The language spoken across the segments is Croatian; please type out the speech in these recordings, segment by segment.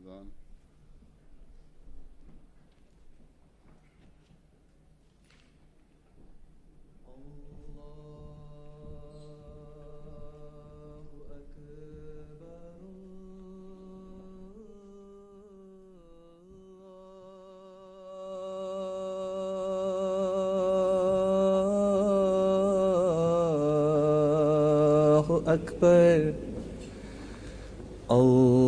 الأذان. أكبر الله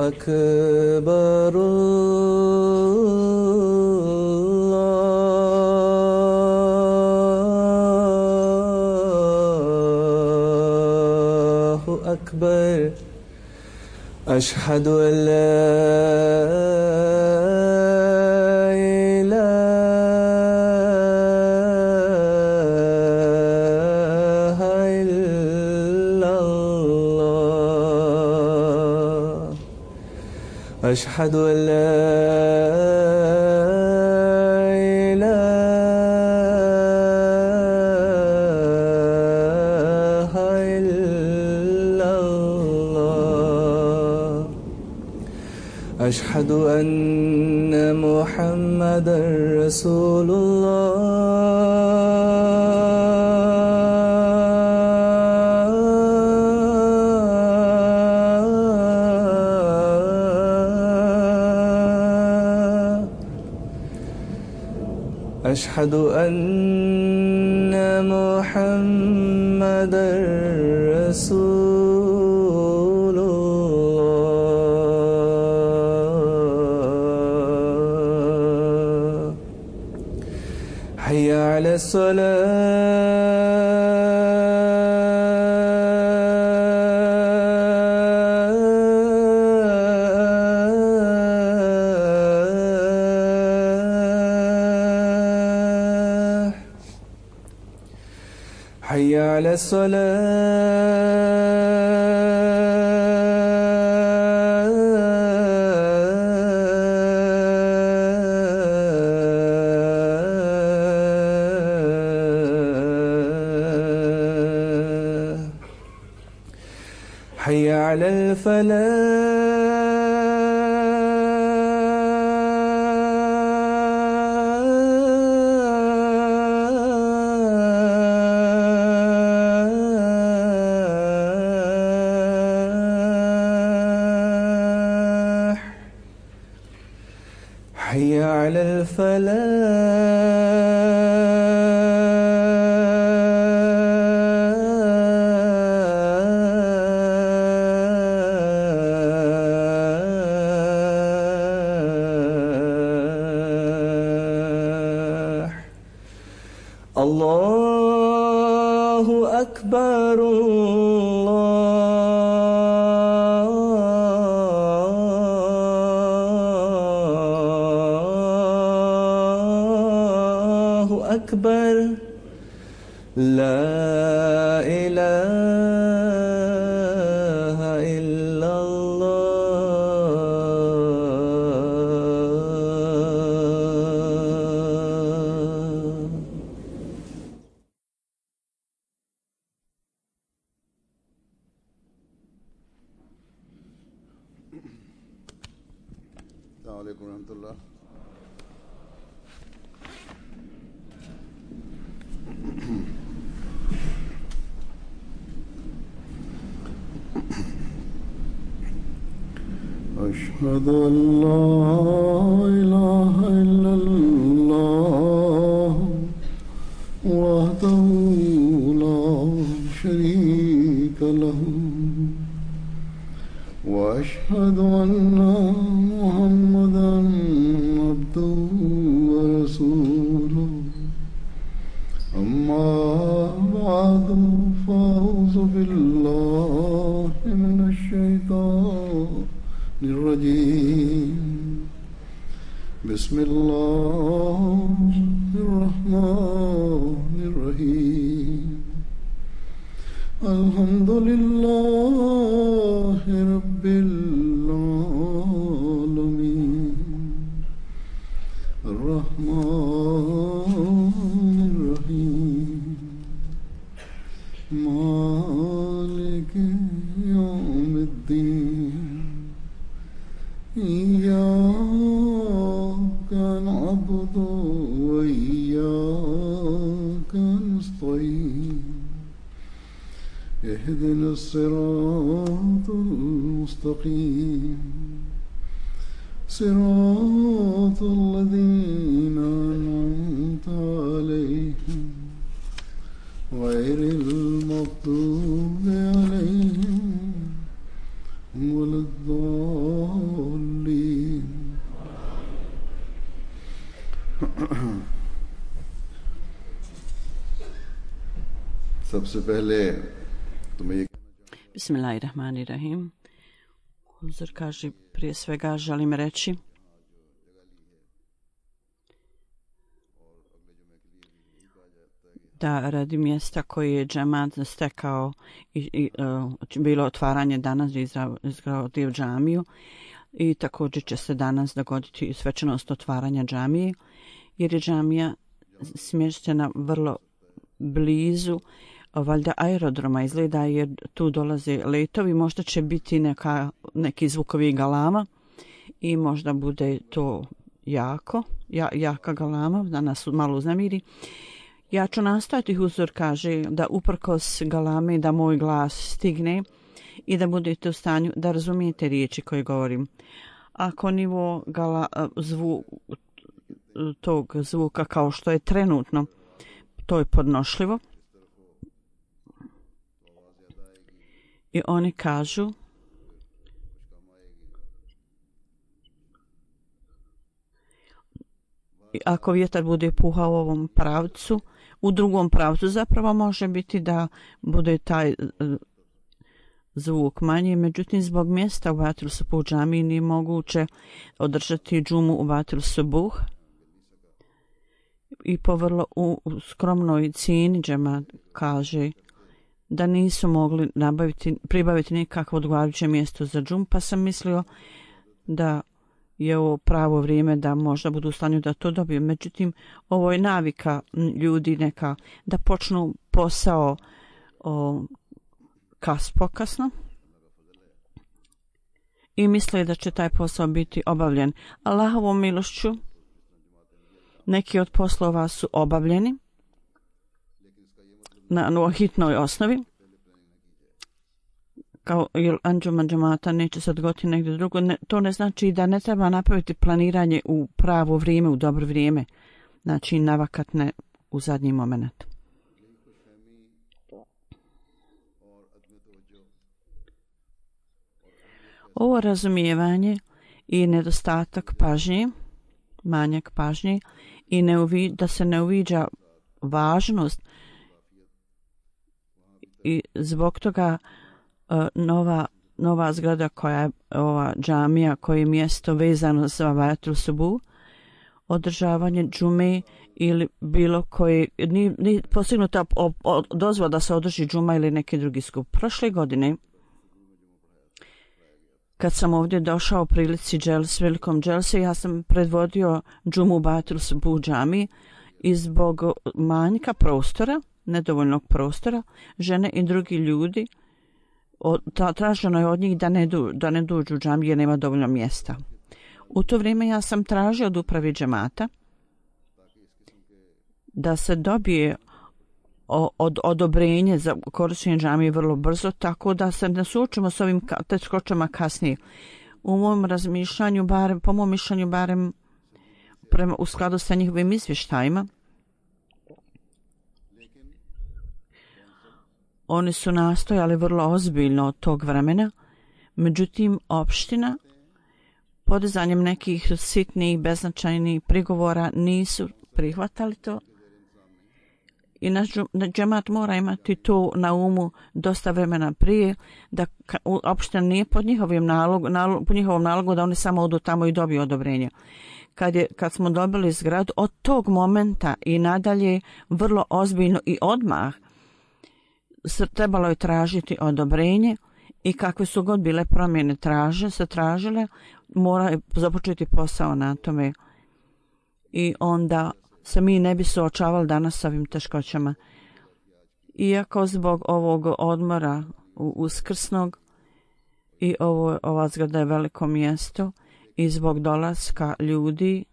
أكبر الله أكبر أشهد أن لا أشهد أن لا إله إلا الله أشهد أن محمدا رسول أشهد أن محمدا رسول الله حي على حي على الصلاة حي على الفلاح حي على الفلاح الله أكبر الله أكبر لا إله إلا الله. السلام عليكم ورحمة الله. أشهد أن لا إله إلا الله وحده لا شريك له وأشهد أن محمدا عبده ورسوله أما بعد فأعوذ بالله من الشيطان الرجيم بسم الله الرحمن الرحيم الحمد لله رب العالمين الرحمن الرحيم مالك يوم الدين الصراط المستقيم صراط الذين أنعمت عليهم غير المغضوب عليهم ولا الضالين. सबसे पहले तुम्हें ये Bismillahirrahmanirrahim. Huzur kaže, prije svega želim reći da radi mjesta koje je džemat stekao i bilo otvaranje danas izgradio džamiju i također će se danas dogoditi i svečanost otvaranja džamije, jer je džamija smještena vrlo blizu valjda aerodroma, izgleda, jer tu dolaze letovi, možda će biti neki zvukovi galama i možda bude to jaka galama da nas malo uznemiri. Ja ću nastojati, Huzur kaže, da uprkos galame da moj glas stigne i da budete u stanju da razumijete riječi koje govorim. Ako nivo tog zvuka kao što je trenutno, to je podnošljivo. I oni kažu ako vjetar bude puhao u ovom pravcu, u drugom pravcu zapravo može biti da bude taj zvuk manji, međutim zbog mjesta u Batil Subuh džamiji nije moguće održati džumu u Batil Subuh i po vrlo skromnoj cijeni džemat kaže da nisu mogli pribaviti nikakvo odgovarajuće mjesto za džum, pa sam mislio da je ovo pravo vrijeme da možda budu u stanju da to dobiju. Međutim, ovo je navika ljudi neka da počnu posao pokasno i misle da će taj posao biti obavljen. Allahovom milošću neki od poslova su obavljeni na hitnoj osnovi, kao jer anđuma džemata neće se odgoditi negdje drugo. To ne znači da ne treba napraviti planiranje u pravo vrijeme, u dobro vrijeme. Znači navakat ne u zadnji moment. Ovo razumijevanje i nedostatak pažnje, manjak pažnje i da se ne uviđa važnost i zbog toga nova zgrada koja je ova džamija, koje je mjesto vezano za Batil Subuh, održavanje džume ili bilo koji nije postignuta dozvola da se održi džuma ili neki drugi skup. Prošle godine kad sam ovdje došao u prilici velikom dželse, ja sam predvodio džumu u Batil Subuh džamiji i zbog manjka prostora, nedovoljnog prostora, žene i drugi ljudi traženo je od njih da ne dođu u džamiju jer nema dovoljno mjesta. U to vrijeme ja sam tražio od upravi džemata da se dobije odobrenje za korištenje džamije vrlo brzo, tako da se ne suočimo s ovim teškoćama kasnije. U mom razmišljanju, po mom mišljenju, barem u skladu sa njihovim izvještajima, oni su nastojali vrlo ozbiljno od tog vremena, međutim opština podizanjem nekih sitnih, beznačajnih prigovora nisu prihvatali to. I naš džemat mora imati to na umu dosta vremena prije, da opština nije pod njihovom nalogu da oni samo odu tamo i dobiju odobrenje. Kad smo dobili zgradu, od tog momenta i nadalje vrlo ozbiljno i odmah trebalo je tražiti odobrenje i kakve su god bile promjene tražile, mora započeti posao na tome. I onda se mi ne bi suočavali danas s ovim teškoćama. Iako zbog ovog odmora uskrsnog i ova zgrada je veliko mjesto i zbog dolaska ljudi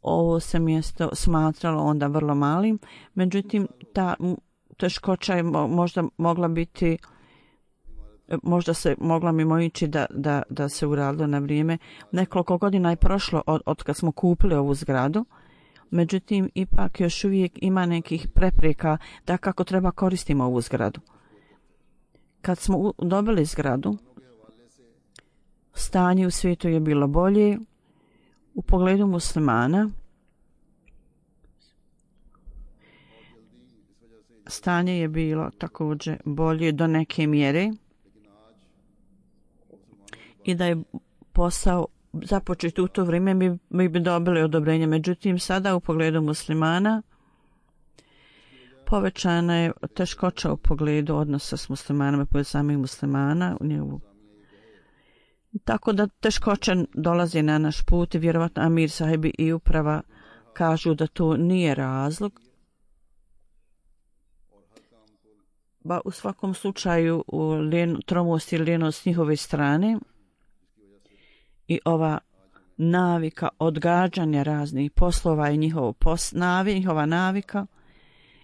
ovo se mjesto smatralo onda vrlo malim, međutim teškoća je možda mogla biti, možda se mogla mimoići da se uradilo na vrijeme. Nekoliko godina je prošlo od kad smo kupili ovu zgradu, međutim ipak još uvijek ima nekih prepreka da kako treba koristimo ovu zgradu. Kad smo dobili zgradu, stanje u svijetu je bilo bolje u pogledu muslimana. Stanje je bilo također bolje do neke mjere i da je posao započet u to vrijeme mi bi dobili odobrenje. Međutim, sada u pogledu muslimana povećana je teškoća u pogledu odnosa s muslimanima, pogledu samih muslimana. Tako da teškoće dolazi na naš put i vjerovatno Amir sahibi i uprava kažu da to nije razlog. Ba u svakom slučaju tromost i lijenost s njihove strane i ova navika odgađanja raznih poslova i njihova navika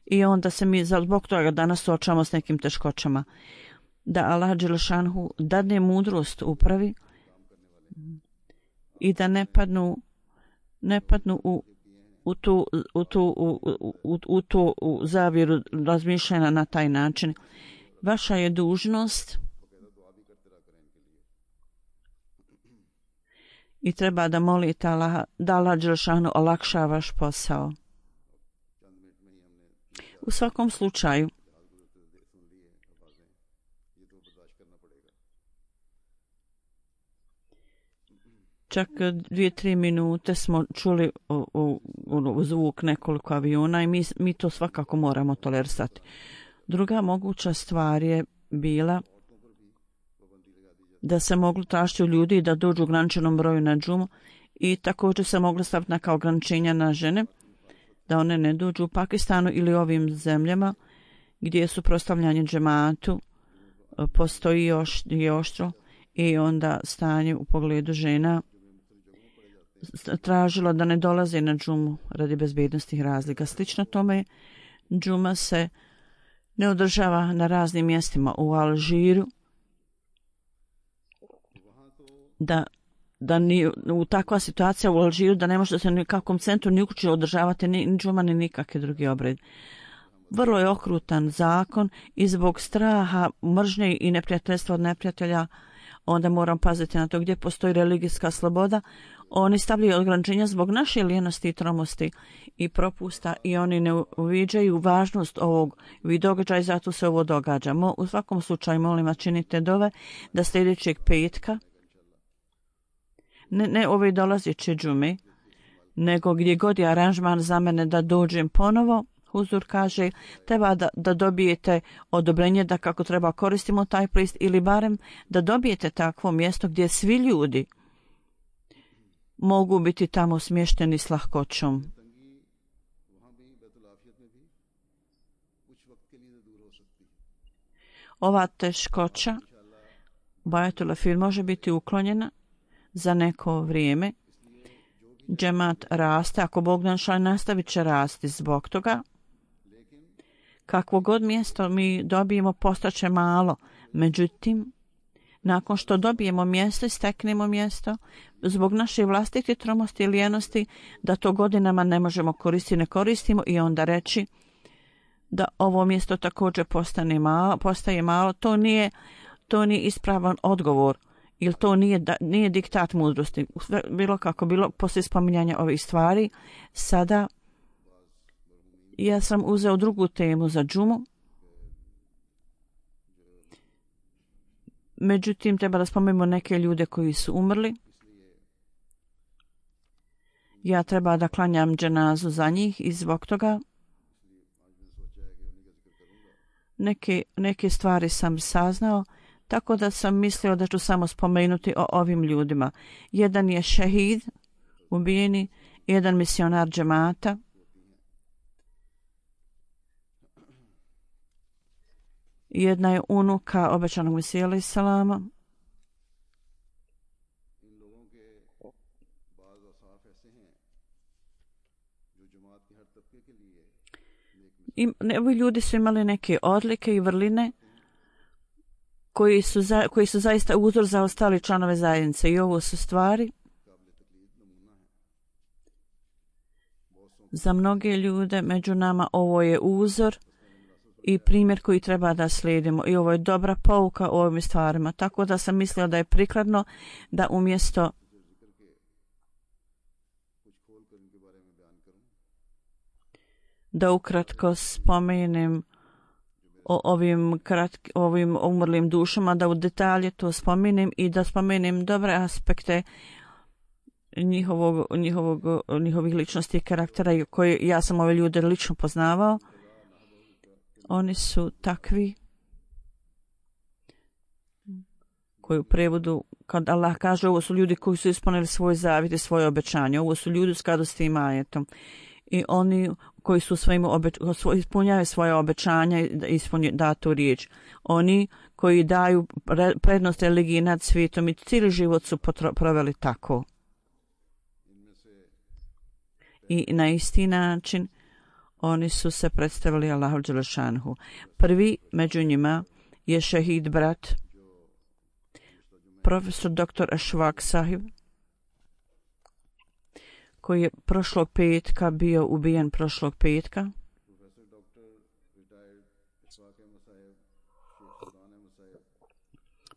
i onda se mi zbog toga danas suočavamo s nekim teškoćama. Da Allah dželešanhu dadne mudrost upravi i da ne padnu u tu zavjeru razmišljanja na taj način. Vaša je dužnost i treba da molite Allah, da Allah dželešanu olakša vaš posao. U svakom slučaju, čak 2-3 minute smo čuli zvuk nekoliko aviona i mi to svakako moramo tolerisati. Druga moguća stvar je bila da se moglo tražiti u ljudi da dođu u ograničenom broju na džumu i također se moglo staviti neka ograničenja na žene da one ne dođu u Pakistanu ili ovim zemljama gdje su prostavljanje džematu postoji još oštro i onda stanje u pogledu žena tražilo da ne dolaze na džumu radi bezbednostnih razlika. Slično tome, džuma se ne održava na raznim mjestima u Alžiru, da ni u takva situacija u Alžiru da ne može se ni kakvom centru ni uključiti održavati ni džuma ni nikakve drugi obred. Vrlo je okrutan zakon i zbog straha, mržnje i neprijateljstva od neprijatelja onda moram paziti na to gdje postoji religijska sloboda. Oni stavljaju ograničenja zbog naše lijenosti i tromosti i propusta i oni ne uviđaju važnost ovog događaja i zato se ovo događa. U svakom slučaju molim vas činite dove da sljedećeg petka ne ove dolazeće džume, nego gdje god je aranžman za mene da dođem ponovo, Huzur kaže, treba da dobijete odobrenje da kako treba koristimo taj prist ili barem da dobijete takvo mjesto gdje svi ljudi mogu biti tamo smješteni s lahkoćom. Ova teškoća Bajatul Afir može biti uklonjena za neko vrijeme. Džemat raste, ako Bog našao nastavit će rasti zbog toga. Kakvo god mjesto mi dobijemo postaće malo, međutim, nakon što dobijemo mjesto i steknemo mjesto, zbog naše vlastite tromosti i lijenosti, da to godinama ne možemo koristiti, ne koristimo i onda reći da ovo mjesto također postaje malo, to nije ispravan odgovor ili to nije diktat mudrosti. Bilo kako bilo, poslije spominjanja ovih stvari, sada ja sam uzeo drugu temu za džumu. Međutim, treba da spomenemo neke ljude koji su umrli. Ja treba da klanjam dženazu za njih i zbog toga neke stvari sam saznao, tako da sam mislio da ću samo spomenuti o ovim ljudima. Jedan je šehid, ubijeni, jedan misionar džemata, jedna je unuka obećanog Mesija alejhi selama, ovi ljudi su imali neke odlike i vrline koji su zaista uzor za ostali članove zajednice i ovo su stvari za mnoge ljude među nama. Ovo je uzor i primjer koji treba da slijedimo i ovo je dobra pouka o ovim stvarima, tako da sam mislila da je prikladno da umjesto da ukratko spomenem o ovim umrlim dušama, da u detalje to spomenem i da spomenem dobre aspekte njihovih ličnosti i karaktera koje ja sam ove ljude lično poznavao. Oni su takvi koji u prevodu, kad Allah kaže, ovo su ljudi koji su ispunili svoj zavjet i svoje obećanje, ovo su ljudi u skladu s tim ajetom. I oni koji su ispunjaju svoje obećanja i ispunjaju datu riječ. Oni koji daju prednost religiji nad svijetom i cijeli život su proveli tako. I na isti način oni su se predstavili Allahu dželešanhu. Prvi među njima je šehid brat, profesor dr. Ashfaq Sahib, koji je prošlog petka bio ubijen prošlog petka.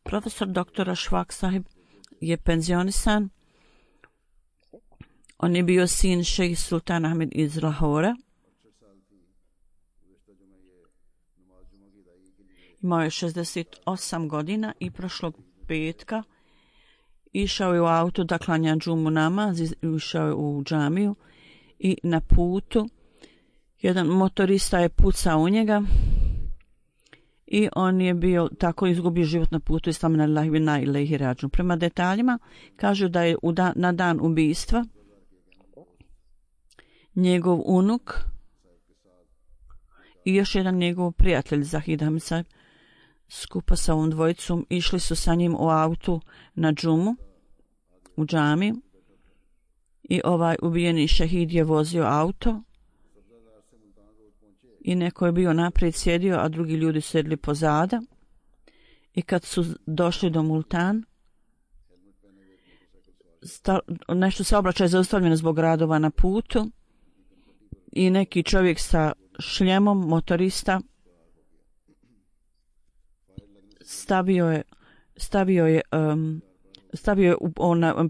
Profesor dr. Ashfaq Sahib je penzionisan. On je bio sin šejh Sultan Ahmed iz Lahora. Imao je 68 godina i prošlog petka išao je u auto da klanja džumu namaz, išao je u džamiju i na putu jedan motorista je pucao u njega i on je bio tako izgubio život na putu. Islamna lillahi wa inna ilaihi rađun. Prema detaljima kažu da je na dan ubistva njegov unuk i još jedan njegov prijatelj Zahid Ahmed Sahib skupa sa ovom dvojicom išli su sa njim u autu na džumu u džamiju i ovaj ubijeni šehid je vozio auto i neko je bio naprijed sjedio, a drugi ljudi sjedili pozada i kad su došli do Multan nešto saobraćaj je zaustavljeno zbog radova na putu i neki čovjek sa šljemom, motorista, stavio je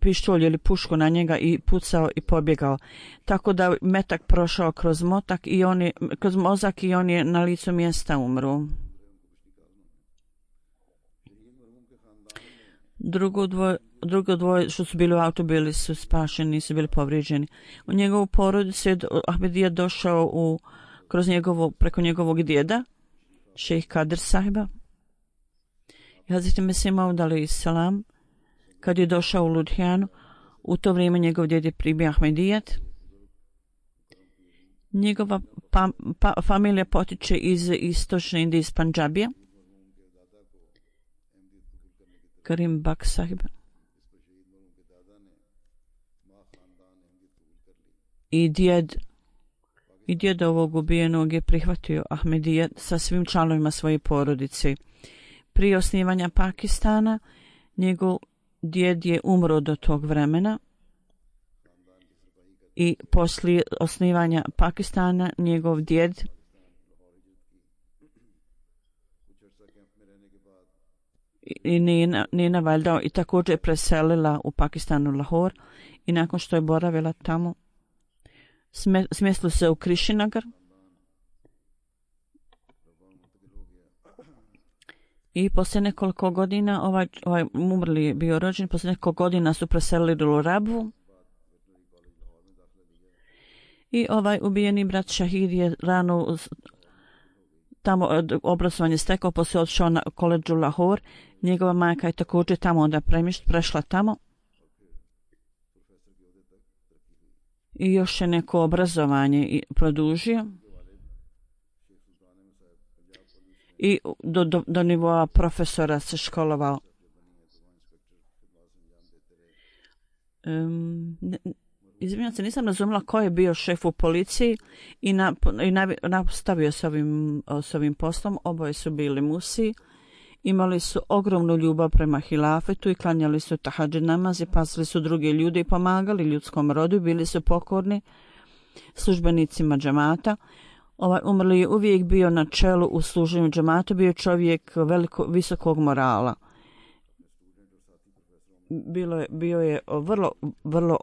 pištolj ili pušku na njega i pucao i pobjegao. Tako da metak prošao kroz mozak i on je na licu mjesta umro. Drugo dvoje što su bili u autu bili su spašeni, nisu bili povrijeđeni. U njegovu porodicu je Ahmedija došao preko njegovog djeda, šejh Kadir Sahiba. Hazreti Mesih Maud alejhi selam, kad je došao u Ludhijanu, u to vrijeme njegov djed je primio Ahmedijet. Njegova familija potiče iz istočne Indije, iz Pandžabija. Karim Bak Sahib. I djed ovog ubijenog je prihvatio Ahmedijet sa svim članovima svoje porodice. Prije osnivanja Pakistana njegov djed je umro do tog vremena i poslije osnivanja Pakistana njegov djed i Nina Valdao i također je preselila u Pakistanu Lahore i nakon što je boravila tamo smjestila se u Krishinagar i poslije nekoliko godina ovaj umrli je bio rođen, poslije nekoliko godina su preselili u Rabvu i ovaj ubijeni brat Šahid je rano tamo obrazovanje stekao, poslije odšao na koledžu Lahore. Njegova majka je također tamo onda prešla tamo i još je neko obrazovanje produžio i do nivoa profesora se školovao. Izvinjam se, nisam razumjela ko je bio šef u policiji i nastavio s ovim poslom. Oboje su bili musi. Imali su ogromnu ljubav prema hilafetu i klanjali su tahadžud namaz i pazili su druge ljude i pomagali ljudskom rodu. Bili su pokorni službenicima džemata. Umrli je uvijek bio na čelu u služenju džemata, bio čovjek visokog morala. Bio je vrlo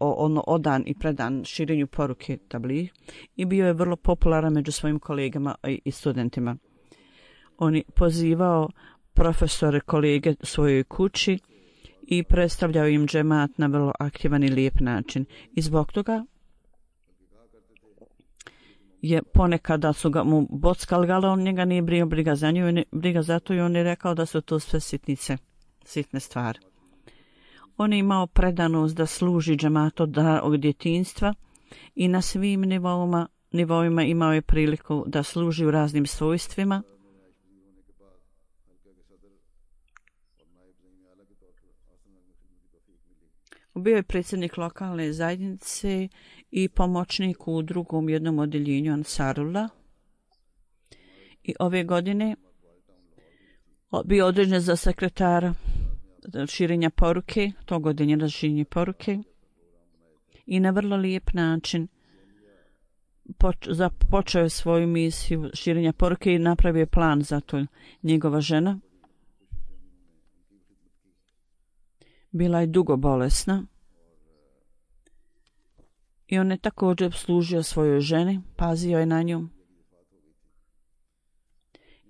odan i predan širenju poruke tabligh i bio je vrlo popularan među svojim kolegama i studentima. On je pozivao profesore, kolege svojoj kući i predstavljao im džemat na vrlo aktivan i lijep način. I zbog toga je ponekada su mu bockali, ali on njega nije briga za nju, briga za to i on je rekao da su to sve sitne stvari. On je imao predanost da služi džematu od djetinjstva i na svim nivoima imao je priliku da služi u raznim svojstvima. Bio je predsjednik lokalne zajednice i pomoćnik u drugom jednom odjeljenju Ansarullah. I ove godine bio određen za sekretara širenja poruke, tog odjeljenja širenja poruke. I na vrlo lijep način započeo je svoju misiju širenja poruke i napravio plan za to. Njegova žena bila je dugo bolesna i on je također služio svojoj ženi, pazio je na nju.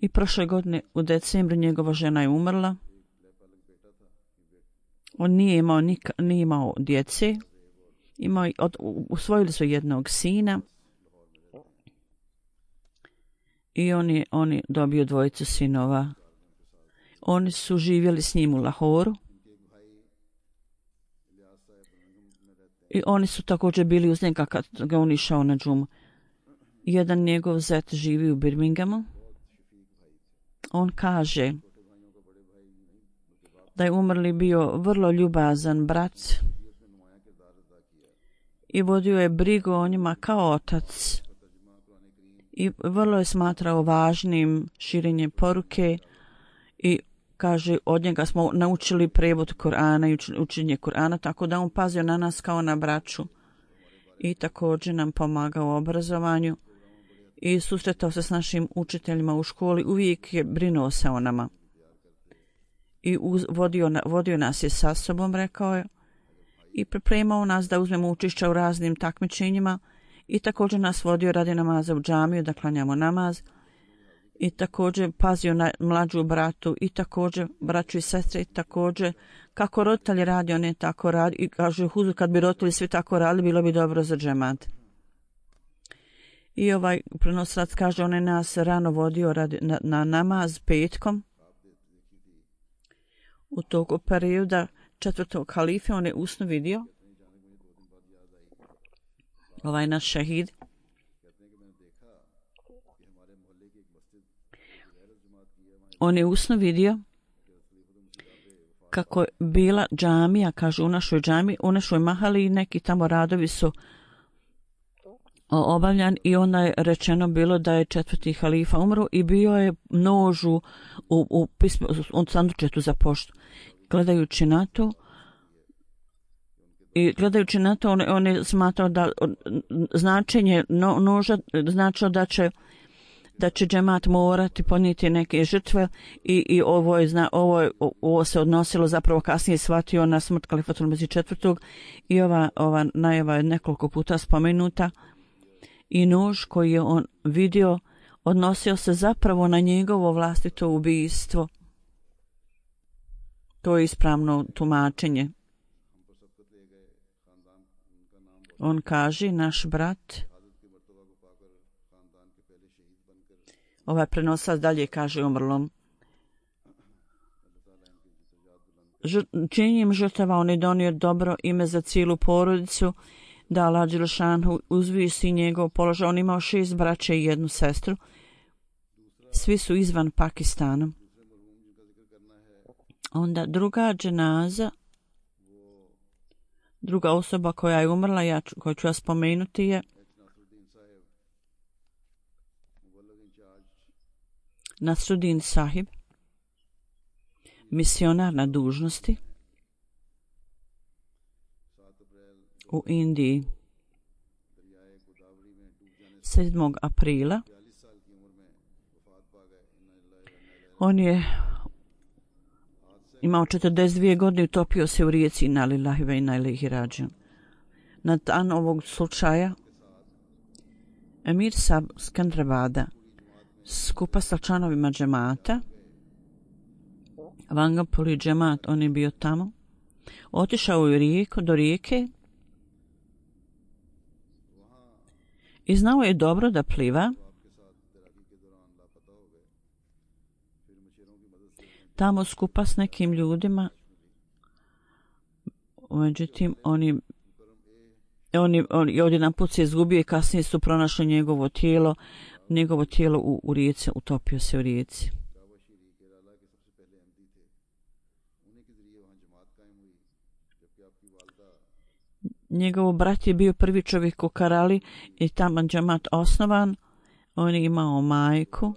I prošle godine u decembru njegova žena je umrla. On nije imao djece. Usvojili su jednog sina i on je dobio dvojicu sinova. Oni su živjeli s njim u Lahoru. I oni su također bili uz njega kad ga on išao na džumu. Jedan njegov zet živi u Birminghamu. On kaže da je umrli bio vrlo ljubazan brat i vodio je brigu o njima kao otac i vrlo je smatrao važnim širenje poruke i kaže, od njega smo naučili prevod Kur'ana i učenje Kur'ana, tako da on pazio na nas kao na braću i također nam pomagao u obrazovanju i susretao se s našim učiteljima u školi, uvijek je brinuo se o nama. I vodio nas je sa sobom, rekao je, i pripremao nas da uzmemo učešća u raznim takmičenjima i također nas vodio radi namaza u džamiju, da klanjamo namaz. I također pazio na mlađu bratu i također braću i sestre i također kako roditelji radi, on je tako radi i kaže kad bi roditelji svi tako radili bilo bi dobro za džemat. I ovaj prenosilac kaže on je nas rano vodio na namaz petkom. U tog perioda četvrtog halife on je usno vidio ovaj naš šehid. On je usno vidio kako je bila džamija, kaže u našoj džamiji, u našoj mahali i neki tamo radovi su obavljan i onda je rečeno bilo da je četvrti halifa umro i bio je nož u sandučetu za poštu. Gledajući na to, on je smatrao da značenje noža značilo da će džemat morati ponijeti neke žrtve i ovo se odnosilo zapravo kasnije shvatio na smrt Kalifatul Mezih četvrtog i ova najava je nekoliko puta spomenuta i nož koji je on vidio odnosio se zapravo na njegovo vlastito ubijstvo. To je ispravno tumačenje. On kaže, naš brat, ovaj prenosac dalje kaže umrlom, činjenjem žrtava on je donio dobro ime za cijelu porodicu, da Allah Đelešanu uzvisi njegov položaj. On imao 6 braće i 1 sestru. Svi su izvan Pakistana. Onda druga dženaza Druga osoba koja je umrla, koju ću ja spomenuti je Nasruddin Sahib, misionar na dužnosti u Indiji. 7. aprila on je imao 42 godine i utopio se u rijeci Inna lillahi wa inna ilaihi rađiun. Na dan ovog slučaja Emir Sab Skandrabada skupa sa članovima džemata, Vangapuri džemat, on je bio tamo, otišao u rijeku, do rijeke i znao je dobro da pliva. Tamo skupa s nekim ljudima, međutim oni odjedan put se izgubio i kasnije su pronašli njegovo tijelo u rijeci, utopio se u rijeci. Njegov brat je bio prvi čovjek u Karali i tamo džemat osnovan. On je imao majku.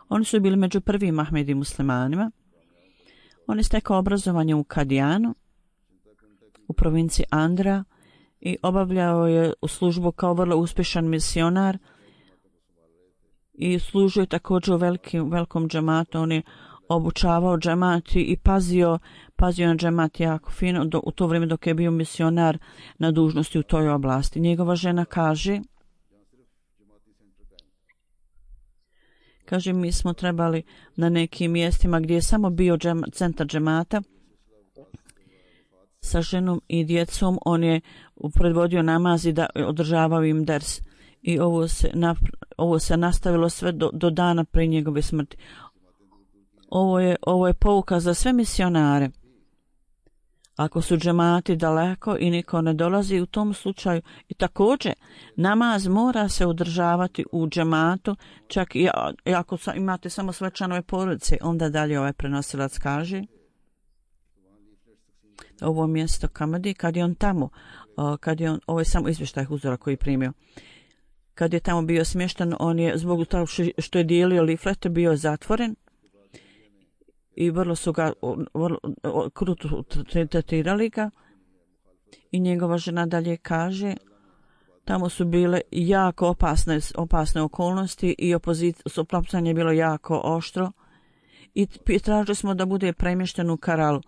Oni su bili među prvim Ahmedi muslimanima. On je stekao obrazovanje u Kadijanu, u provinciji Andhra, i obavljao je u službu kao vrlo uspješan misionar i služio je također u velikom džematu. On je obučavao džemati i pazio na džemat jako fino u to vrijeme dok je bio misionar na dužnosti u toj oblasti. Njegova žena kaže, mi smo trebali na nekim mjestima gdje je samo bio centar džemata sa ženom i djecom. On je predvodio namaz i održavao im ders. I ovo se nastavilo sve do dana prije njegove smrti. Ovo je pouka za sve misionare. Ako su džemati daleko i niko ne dolazi u tom slučaju, i također namaz mora se održavati u džematu, čak i ako imate samo sve članove porodice. Onda dalje ovaj prenosilac kaže, ovo mjesto Kamadi, kad je on tamo, ovo je samo izvještaj uzora koji je primio, kad je tamo bio smješten, on je zbog toga što je dijelio liflete bio zatvoren i vrlo su ga kruto tretirali ga. I njegova žena dalje kaže, tamo su bile jako opasne okolnosti i suprotstavljanje je bilo jako oštro i tražili smo da bude premješten u Karalu.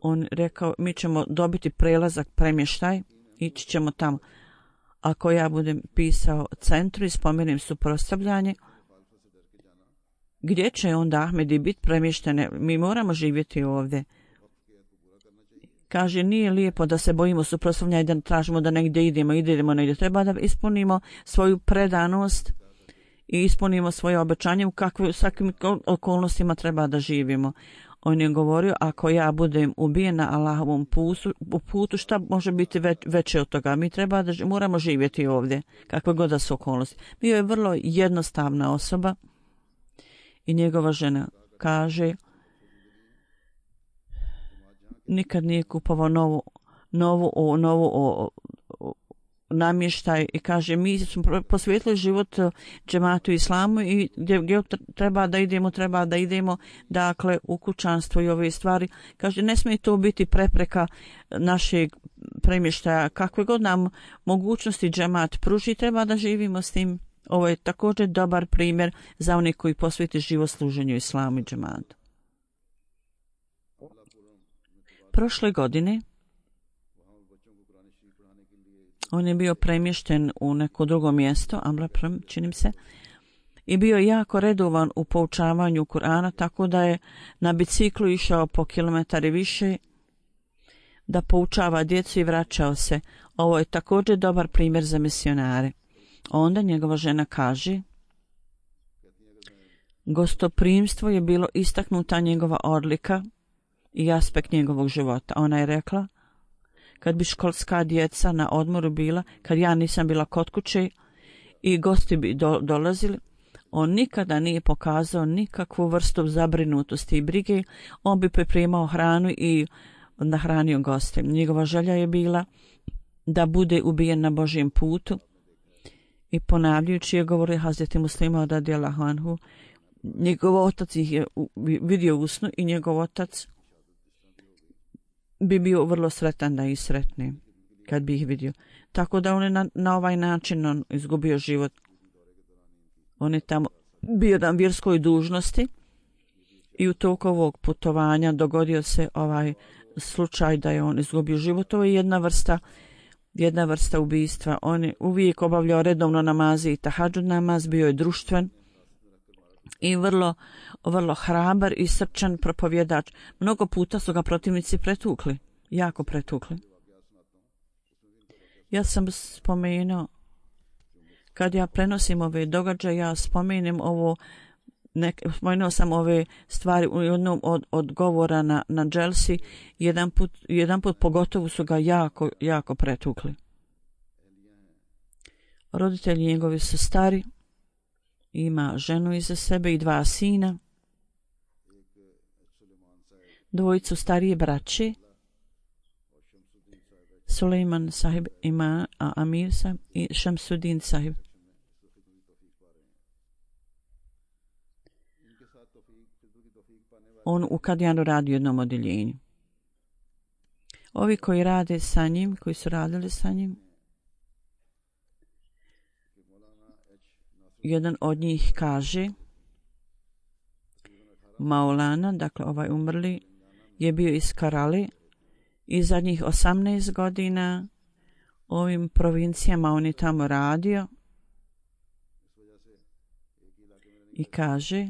On rekao, mi ćemo dobiti prelazak, premještaj, ići ćemo tamo. Ako ja budem pisao centru i spomenem suprotstavljanje, gdje će onda Ahmedi biti premještene? Mi moramo živjeti ovdje. Kaže, nije lijepo da se bojimo suprotstavljanja i da tražimo da negdje idemo negdje. Treba da ispunimo svoju predanost i ispunimo svoje obećanje u kakvim okolnostima treba da živimo. On je govorio, ako ja budem ubijen na Allahovom putu, šta može biti veće od toga? Mi moramo živjeti ovdje, kakve god da su okolnosti. Bio je vrlo jednostavna osoba i njegova žena kaže, nikad nije kupovao novu namještaj i kaže, mi smo posvetili život džematu islamu i gdje treba da idemo, dakle u kućanstvo i ove stvari. Kaže, ne smije to biti prepreka našeg premještaja. Kakve god nam mogućnosti džemat pruži, treba da živimo s tim. Ovo je također dobar primjer za one koji posveti život služenju islamu i džematu. Prošle godine on je bio premješten u neko drugo mjesto, Amrapram, činim se, i bio jako redovan u poučavanju Kur'ana, tako da je na biciklu išao po kilometari više da poučava djecu i vraćao se. Ovo je također dobar primjer za misionare. Onda njegova žena kaže, gostoprimstvo je bilo istaknuta njegova odlika i aspekt njegovog života. Ona je rekla, kad bi školska djeca na odmoru bila, kad ja nisam bila kod kuće i gosti bi dolazili, On nikada nije pokazao nikakvu vrstu zabrinutosti i brige. On bi pripremao hranu i nahranio goste. Njegova želja je bila da bude ubijen na Božjem putu. I ponavljajući je govorio Hazreti Muslima radijallahu anhu, njegov otac ih je vidio u snu i njegov otac bi bio vrlo sretan da ih sretne kad bi ih vidio. Tako da on je na ovaj način on izgubio život. On je tamo bio na vjerskoj dužnosti i u toku ovog putovanja dogodio se ovaj slučaj da je on izgubio život. To je jedna vrsta ubistva. On je uvijek obavljao redovno namaze i tahadžud namaz, bio je društven i vrlo, vrlo hrabar i srčan propovjedač. Mnogo puta su ga protivnici pretukli, jako pretukli. Ja sam spomenuo, kad ja prenosim ove događaje, ja spomenem ovo, spomenuo sam ove stvari u jednom od govora na dželsi, jedan put pogotovo su ga jako, jako pretukli. Roditelji njegovi su stari, ima ženu iza sebe i 2 sina, dvojicu starije braće, Suleiman sahib ima Amir sahib i Šamsudin sahib. On u Kadijanu radi u jednom odjeljenju. Ovi koji rade sa njim, koji su radili sa njim, jedan od njih kaže, Maulana, dakle ovaj umrli, je bio iz Karale i zadnjih 18 godina ovim provincijama on je tamo radio i kaže,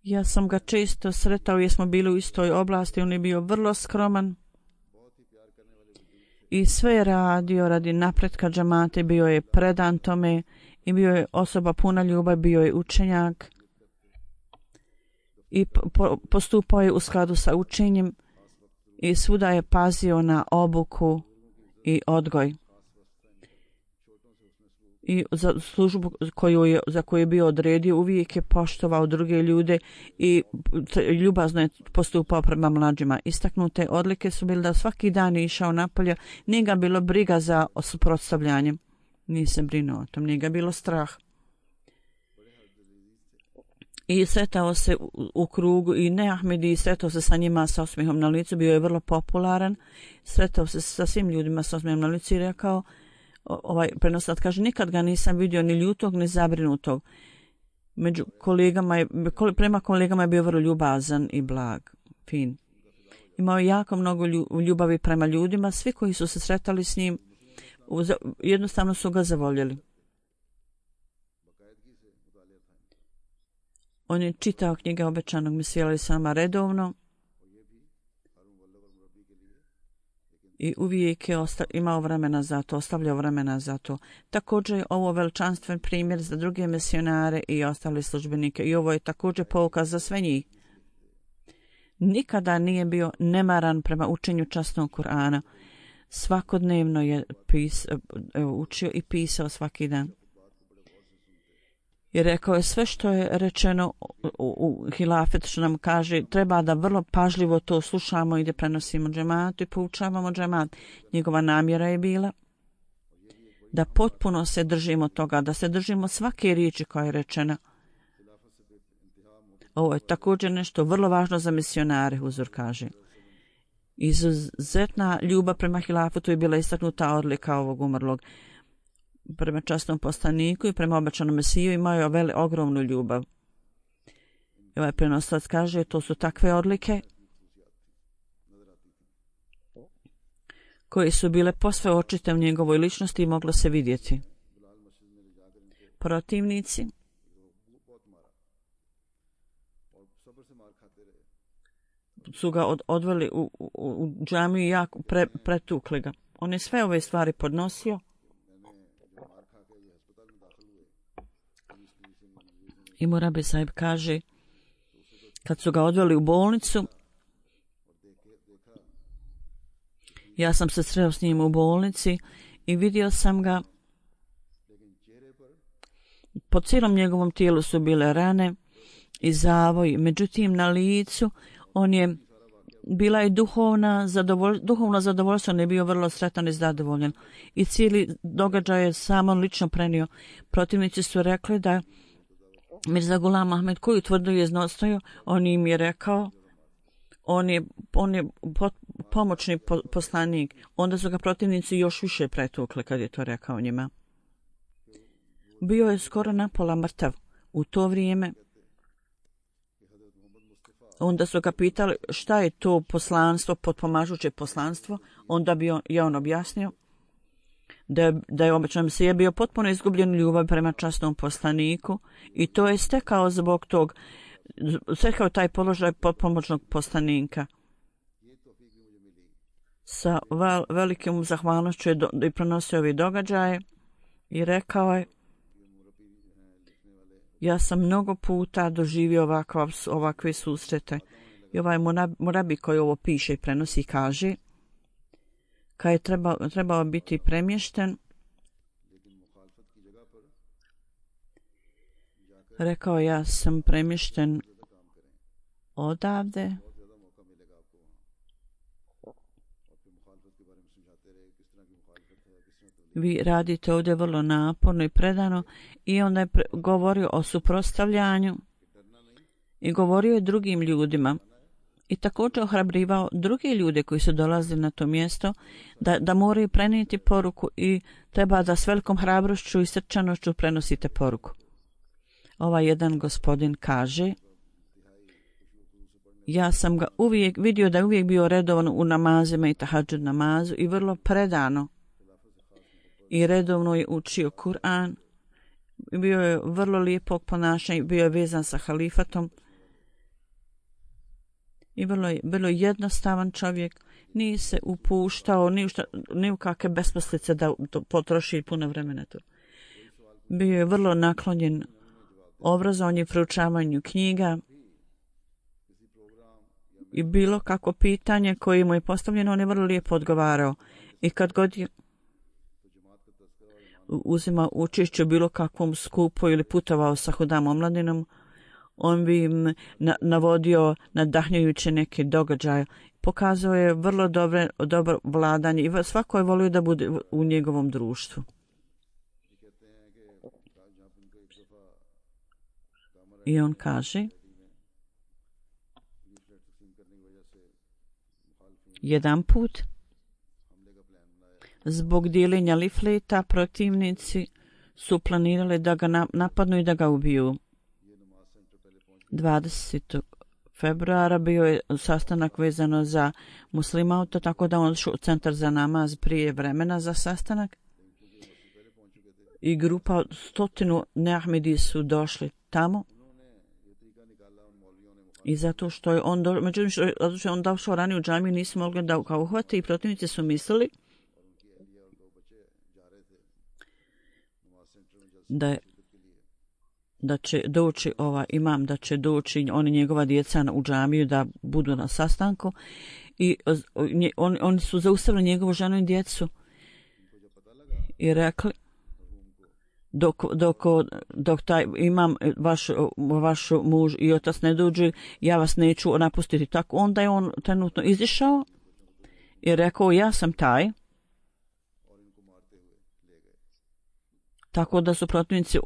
ja sam ga često sretao jer smo bili u istoj oblasti, on je bio vrlo skroman i sve je radio radi napretka džamate, bio je predan tome i bio je osoba puna ljubavi, bio je učenjak i postupao je u skladu sa učenjem i svuda je pazio na obuku i odgoj. I za službu za koju je bio odredio uvijek je poštovao druge ljude i ljubazno je postupao prema mlađima. Istaknute odlike su bile da svaki dan je išao napolje, nije ga bilo briga za suprotstavljanje. Nije se brinuo o tom, nije ga bilo strah. I sretao se u krugu i ne Ahmedi, sretao se sa njima sa osmijehom na licu, bio je vrlo popularan, sretao se sa svim ljudima sa osmijehom na licu i rekao, ovaj prenosač kaže, nikad ga nisam vidio ni ljutog ni zabrinutog. Prema kolegama je bio vrlo ljubazan i blag, fin. Imao je jako mnogo ljubavi prema ljudima, svi koji su se sretali s njim jednostavno su ga zavoljeli. On je čitao knjige obećanog Mesija alejhi selama redovno i uvijek je imao vremena za to, ostavljao vremena za to. Također je ovo veličanstven primjer za druge misionare i ostale službenike i ovo je također pouka za sve njih. Nikada nije bio nemaran prema učenju časnog Kur'ana. Svakodnevno je učio i pisao svaki dan. I rekao je sve što je rečeno u hilafet, što nam kaže, treba da vrlo pažljivo to slušamo i da prenosimo džematu i poučavamo džemat. Njegova namjera je bila da potpuno se držimo toga, da se držimo svake riječi koja je rečena. Ovo je također nešto vrlo važno za misionare, Huzur kaže. Izuzetna ljubav prema hilafetu je bila istaknuta odlika ovog umrlog. Prema časnom poslaniku i prema obećanom Mesiju imao je ogromnu ljubav. I ovaj prenoslac kaže, to su takve odlike koje su bile posve očite u njegovoj ličnosti i moglo se vidjeti. Protivnici su ga odveli u džamiju i jako pretukli ga. On je sve ove stvari podnosio. I Murabi sahib kaže, kad su ga odveli u bolnicu, ja sam se sreo s njim u bolnici i vidio sam ga. Po cijelom njegovom tijelu su bile rane i zavoj, međutim na licu bila je duhovno zadovoljstvo, on je bio vrlo sretan i zadovoljan. I cijeli događaj je samo lično prenio. Protivnici su rekli da Mirza Ghulam Ahmed, koju tvrdo je iznosio, on im je rekao, on je pomoćni poslanik. Onda su ga protivnici još više pretukli kad je to rekao njima. Bio je skoro napola mrtav u to vrijeme. Onda su ga pitali šta je to poslanstvo, potpomažuće poslanstvo. Onda bi on objasnio da je obično je bio potpuno izgubljen ljubav prema časnom poslaniku i to je stekao zbog tog, stekao taj položaj potpomoćnog poslanika. Sa velikim zahvalnošću je pronosio ovi događaje i rekao je: ja sam mnogo puta doživio ovakve susrete. I ovaj Murabi koji ovo piše i prenosi kaže, kad je trebao biti premješten, rekao: ja sam premješten odavde vi radite ovdje vrlo naporno i predano. I onda je govorio o suprotstavljanju i govorio je drugim ljudima i također ohrabrivao druge ljude koji su dolazili na to mjesto da moraju prenijeti poruku i treba da s velikom hrabrošću i srčanošću prenosite poruku. Ovaj jedan gospodin kaže: ja sam ga uvijek vidio da je uvijek bio redovan u namazima i tahadžud namazu i vrlo predano i redovno je učio Kur'an. Bio je vrlo lijepog ponašanja, bio je vezan sa halifatom i vrlo jednostavan čovjek. Nije se upuštao ni u kakve besmislice da potroši puno vremena tu. Bio je vrlo naklonjen obrazovanju i proučavanju knjiga i bilo kako pitanje koje mu je postavljeno, on je vrlo lijepo odgovarao. I kad god je uzimao učešće u bilo kakvom skupu ili putovao sa hudam omladinom, on bi im navodio nadahnjujuće neke događaje. Pokazao je vrlo dobro vladanje i svako je volio da bude u njegovom društvu. I on kaže: jedan put zbog dijeljenja lifleta protivnici su planirali da ga napadnu i da ga ubiju. 20. februara bio je sastanak vezano za muslimauta, tako da on šao u centar za namaz prije vremena za sastanak. I grupa od 100 neahmedi su došli tamo. I zato što je on došao ranije u džamiju, nisu mogli da ga uhvate i protivnici su mislili da će doći imam, da će doći oni njegova djeca u džamiju da budu na sastanku i oni su zaustavili njegovu ženu i djecu i rekli: dok taj imam vaš muž i otac ne dođu, ja vas neću napustiti. Tako onda je on trenutno izišao i rekao: ja sam taj. Tako da su protivnici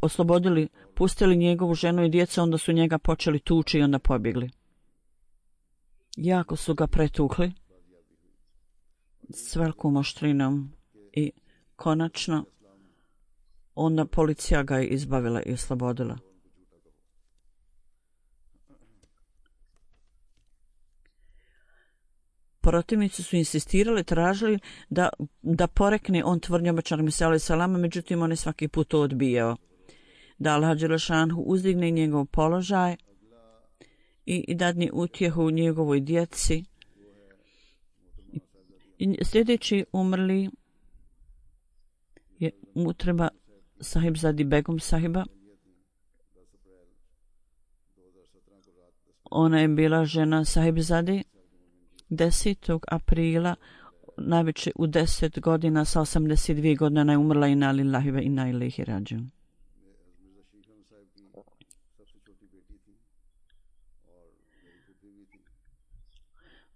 pustili njegovu ženu i djecu, onda su njega počeli tući i onda pobjegli. Jako su ga pretukli s velikom oštrinom i konačno onda policija ga je izbavila i oslobodila. Protivnici su insistirali, tražili da porekne on tvrdnju obećanog Mesija alejhi selama, međutim on je svaki put to odbijao. Da Allah dželle šanhu uzdigne njegov položaj i dadne utjehu njegovoj djeci. I sljedeći umrli je Mutreba Sahibzadi Begum sahiba. Ona je bila žena Sahibzadi. 10. aprila najveće u 10 godina, sa 82 godine ona je umrla, inna lillahi ve inna ilaihi rađiun.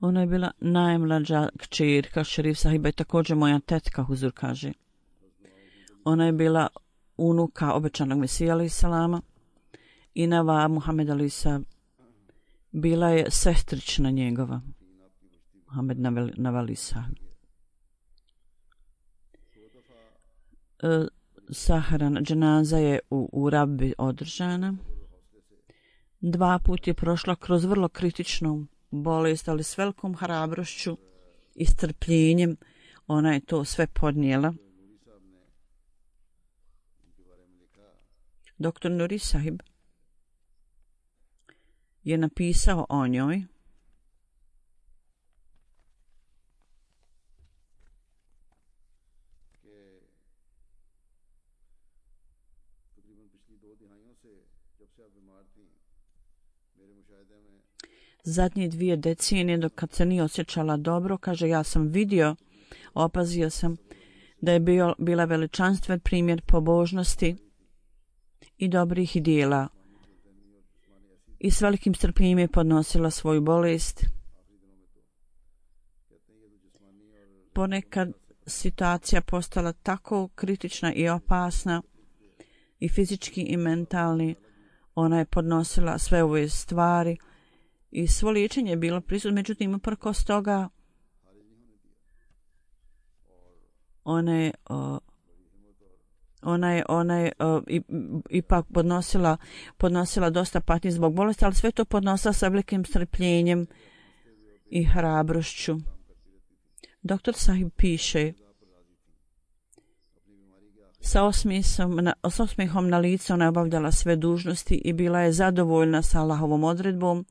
Ona je bila najmlađa kćerka Šerif sahiba i također moja tetka, Huzur kaže. Ona je bila unuka obećanog Mesija alejhi selama i Nava Muhammed alejhi selam bila je sestrična njegova. Muhammed Navali sahib. Sahrana dženaza je u Rabbi održana. 2 puta je prošla kroz vrlo kritičnu bolest, ali s velikom hrabrošću i strpljenjem ona je to sve podnijela. Doktor Nuri sahib je napisao o njoj zadnje 2 decenije dok kad se nije osjećala dobro, kaže, ja sam vidio, opazio sam da je bila veličanstven primjer pobožnosti i dobrih dijela i s velikim strpljenjem je podnosila svoju bolest. Ponekad situacija postala tako kritična i opasna i fizički i mentalni, ona je podnosila sve ove stvari i svo liječenje je bilo prisutno, međutim uprkos toga ona je ipak podnosila dosta patnje zbog bolesti, ali sve to podnosila sa velikim strpljenjem i hrabrošću. Doktor sahib piše, sa osmijehom na licu ona je obavljala sve dužnosti i bila je zadovoljna sa Allahovom odredbom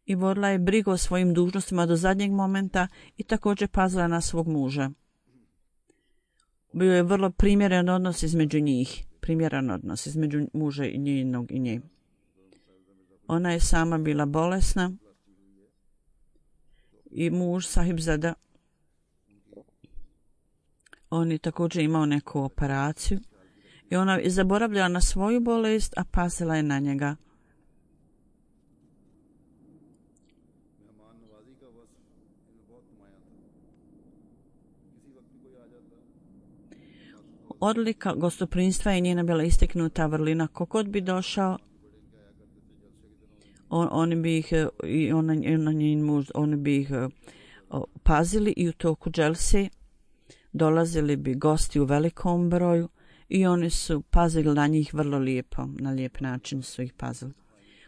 i vodila je brigu o svojim dužnostima do zadnjeg momenta i također pazila na svog muža. Bio je vrlo primjeren odnos između njih, između muža i njenog i nje. Ona je sama bila bolesna i muž Sahibzada, on je također imao neku operaciju i ona je zaboravljala na svoju bolest, a pazila je na njega. Odlika gostoprinstva je njena bila isteknuta vrlina. Kogod bi došao, oni bi ih i oni bi ih pazili i u toku dželse dolazili bi gosti u velikom broju i oni su pazili na njih vrlo lijepo, na lijep način su ih pazili.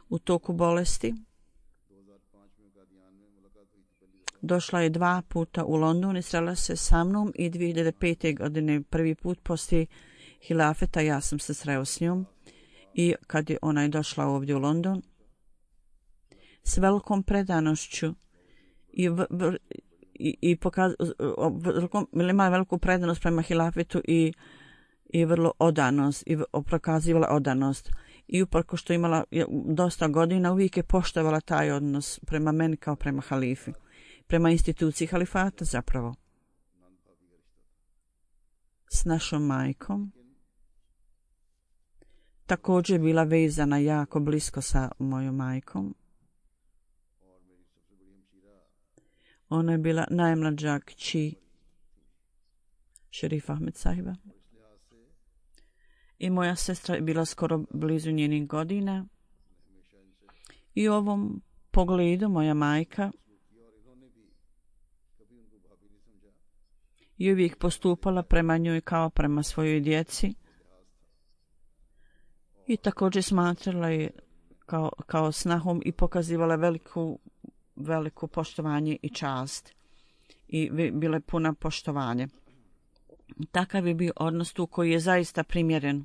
U toku bolesti došla je 2 puta u London i srela se sa mnom i 2005. godine prvi put poslije hilafeta ja sam se sreo s njom i kad je ona je došla ovdje u London s velikom predanošću ima veliku predanost prema hilafetu i vrlo odanost i prokazivala odanost i uprko što imala dosta godina uvijek je poštovala taj odnos prema meni kao prema halifi, prema instituciji halifata zapravo. S našom majkom također je bila vezana jako blisko sa mojom majkom. Ona je bila najmlađa kći Šerif Ahmed sahiba. I moja sestra je bila skoro blizu njenih godina. I u ovom pogledu moja majka je uvijek postupala prema njoj kao prema svojoj djeci. I također smatrala je kao snahom i pokazivala veliku poštovanje i čast. I bila je puna poštovanja. Takav je bio odnos tu koji je zaista primjeren.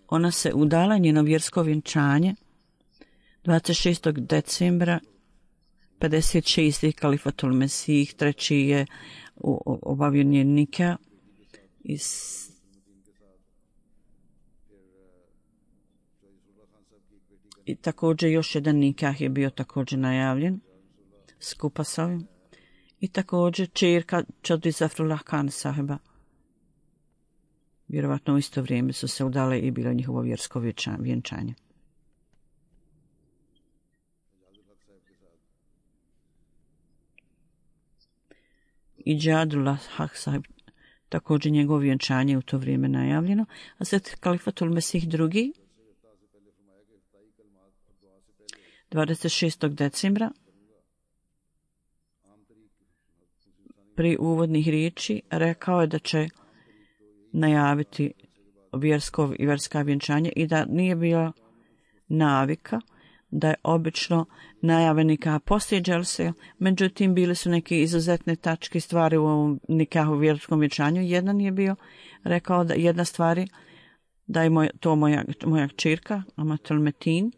Ona se udala, njeno vjersko vjenčanje 26. decembra 56. Kalifatul Mesih, 3. je obavio njen nikah i I također još jedan nikah je bio također najavljen skupa s ovim. I također čerka Čadri Zafrullah Khan sahiba. Vjerovatno u isto vrijeme su se udale i bilo njihovo vjersko vjenčanje. I Džadullah Haq sahib, također njegovo vjenčanje u to vrijeme najavljeno. A sad Kalifatul Mesih II. 26. decembra pri uvodnih riječi rekao je da će najaviti vjerska vjenčanja i da nije bila navika da je obično najave nikaha poslije dželse, međutim bili su neke izuzetne tačke stvari u ovom nikahu vjerskom vjenčanju. Jedan je bio rekao da jedna stvari da je to moja kćerka Amatul Metin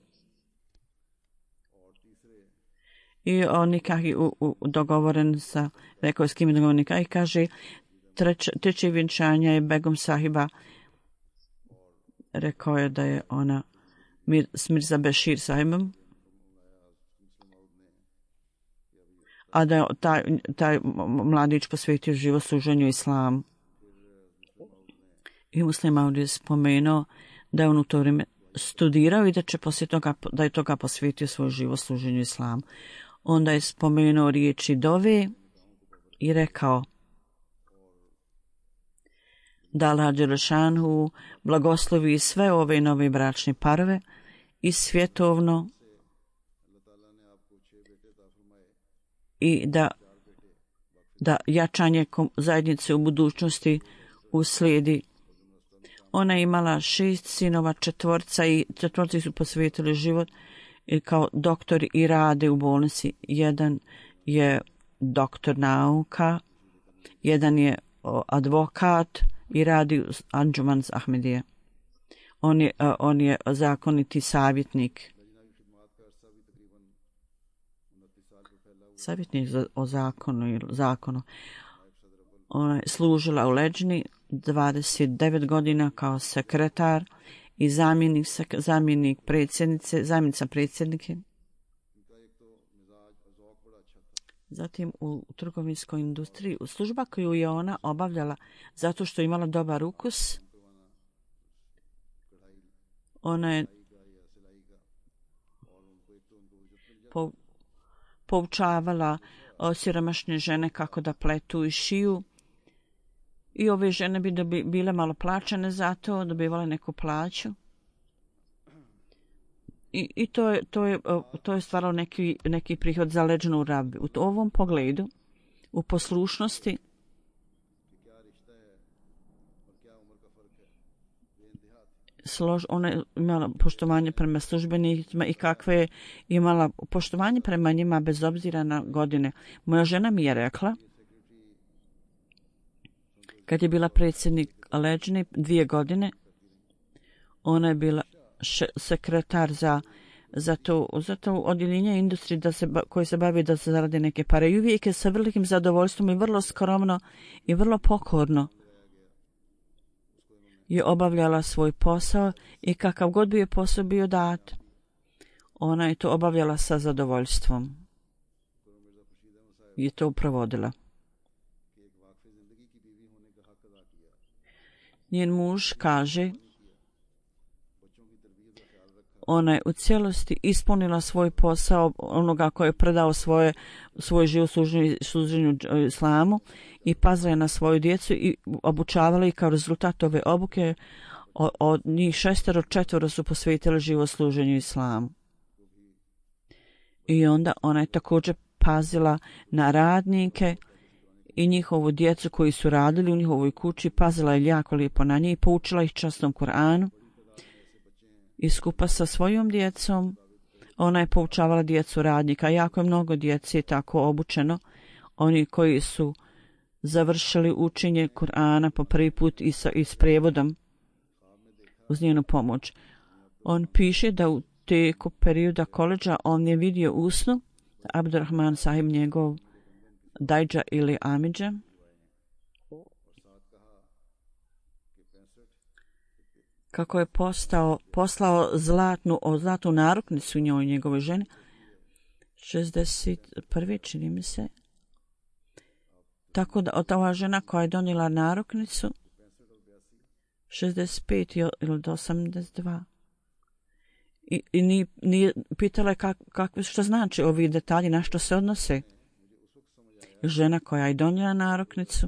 i on nikah je dogovoren sa, rekao je s kim je dogovoren nikah i kaže treće vjenčanje je Begum sahiba, rekao je da je ona s Mirza Bešir sahibom, a da je taj mladić posvetio život služenju islamu. I Muslim Maud je spomenuo da je on u to vrijeme studirao i da će poslije toga, da je toga posvetio svoj život služenju islamu. Onda je spomenuo riječi dove i rekao da Allah Đelešanu blagoslovi sve ove nove bračne parove i svjetovno i da jačanje zajednice u budućnosti uslijedi. Ona je imala 6 sinova, četvorci su posvetili život i kao doktori i rade u bolnici. Jedan je doktor nauka, jedan je advokat i radi u Anđumans Ahmedije. On je zakoniti savjetnik. Savjetnik o zakonu. Ona je služila u Leđni 29 godina kao sekretar i zamjenica predsjednike. Zatim u trgovinskoj industriji, u služba koju je ona obavljala zato što je imala dobar ukus, ona je poučavala siromašne žene kako da pletu i šiju. I ove žene bi bile malo plaćene za to, dobivale neku plaću. I to je stvaralo neki prihod za leđnu rabi. U ovom pogledu, u poslušnosti, ona je imala poštovanje prema službenicima i kakve je imala poštovanje prema njima bez obzira na godine. Moja žena mi je rekla, kad je bila predsjednik Leđne 2 godine, ona je bila sekretar za to odjeljenje industrije koje se bavi da se zarade neke pare. I uvijek je sa velikim zadovoljstvom i vrlo skromno i vrlo pokorno je obavljala svoj posao i kakav god bi je posao bio dat, ona je to obavljala sa zadovoljstvom. Je to provodila. Njen muž kaže, ona je u cijelosti ispunila svoj posao onoga koji je predao svoj život služenju islamu i pazila je na svoju djecu i obučavala ih. Kao rezultat ove obuke od njih 4 su posvetili život služenju islamu. I onda ona je također pazila na radnike i njihovu djecu koji su radili u njihovoj kući, pazila je jako lijepo na njih i poučila ih časnom Kur'anu. I skupa sa svojom djecom ona je poučavala djecu radnika. Jako je mnogo djece tako obučeno. Oni koji su završili učenje Kur'ana po prvi put i s prijevodom uz njenu pomoć. On piše da u tijeku perioda koledža on je vidio u snu Abdurrahman sahib, njegov dajđa ili amidža, kako je poslao zlatnu naruknicu njoj, njegove žene. 61. čini mi se. Tako da ova žena koja je donijela naruknicu 65 ili 82. I nije pitala je što znači ovi detalji, na što se odnose. Žena koja je donijela naruknicu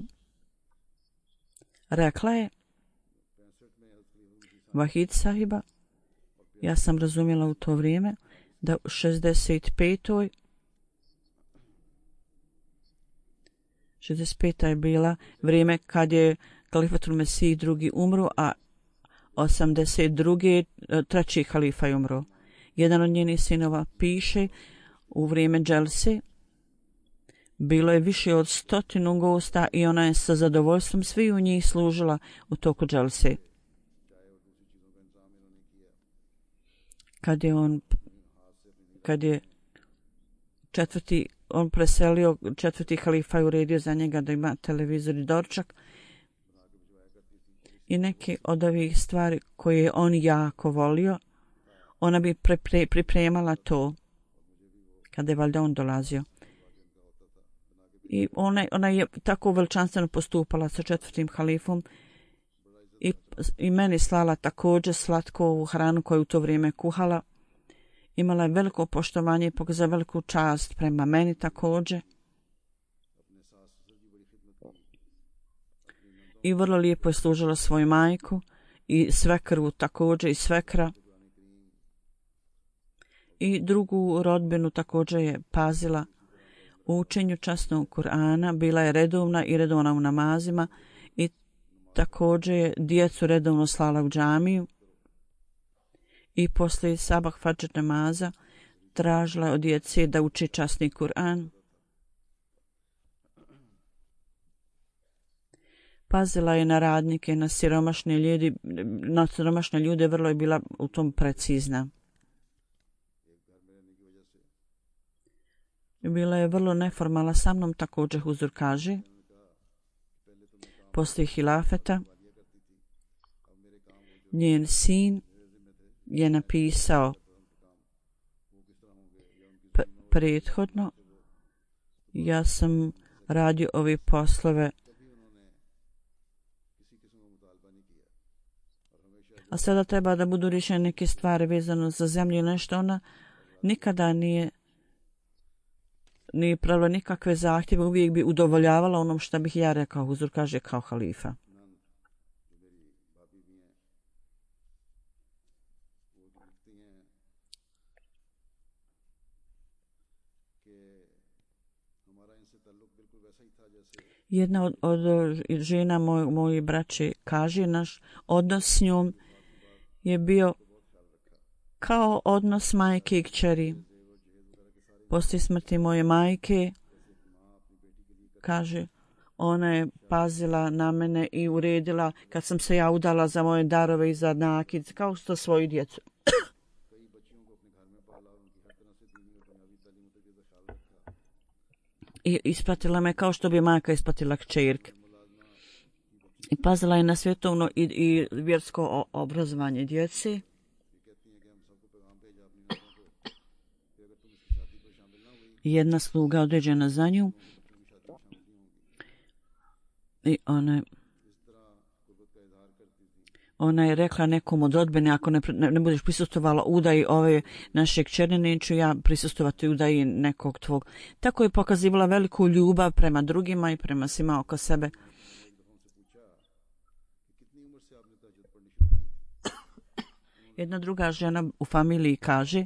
rekla je Vahid sahiba, ja sam razumjela u to vrijeme da u 65. 65. je bila vrijeme kad je Kalifatul Mesih drugi umro, a 82. treći halifa je umro. Jedan od njenih sinova piše u vrijeme dželse bilo je više od 100 gosta i ona je sa zadovoljstvom svi u njih služila u toku dželse. Kad je on preselio, četvrti halifa je uredio za njega da ima televizor i doručak i neke od ovih stvari koje je on jako volio, ona bi pripremala to kada je valjda on dolazio. I ona je tako veličanstveno postupala sa četvrtim halifom i meni slala također slatkovu hranu koju u to vrijeme kuhala. Imala je veliko poštovanje i pokazala veliku čast prema meni također. I vrlo lijepo je služila svoju majku i svekru također i svekra. I drugu rodbinu također je pazila u učenju časnog Kur'ana, bila je redovna u namazima i također je djecu redovno slala u džamiju. I poslije sabah fadžr namaza tražila od djece da uči časni Kur'an. Pazila je na radnike, na siromašne ljude, vrlo je bila u tom precizna. Bila je vrlo neformalna sa mnom, također Huzur kaže. Poslije hilafeta njen sin je napisao prethodno, ja sam radio ove poslove, a sada treba da budu rješene neke stvari vezano za zemlju ili nešto. Ona nikada nije pravila nikakve zahtjeve, uvijek bi udovoljavala onom što bih ja rekao, Huzur kaže, kao halifa. Jedna od žena moje braće kaže, naš odnos s njom je bio kao odnos majke i kćeri. Poslije smrti moje majke, kaže, ona je pazila na mene i uredila kad sam se ja udala za moje darove i za nakid, kao što svoju djecu. I ispratila me kao što bi majka ispratila kćerke. I pazila je na svjetovno i vjersko obrazovanje djece. Jedna sluga određena za nju. I ona je rekla nekom od rodbine, ako ne budeš prisustvovala udaji ove naše kćeri, neću ja prisustvovati udaji nekog tvog. Tako je pokazivala veliku ljubav prema drugima i prema svima oko sebe. Jedna druga žena u familiji kaže,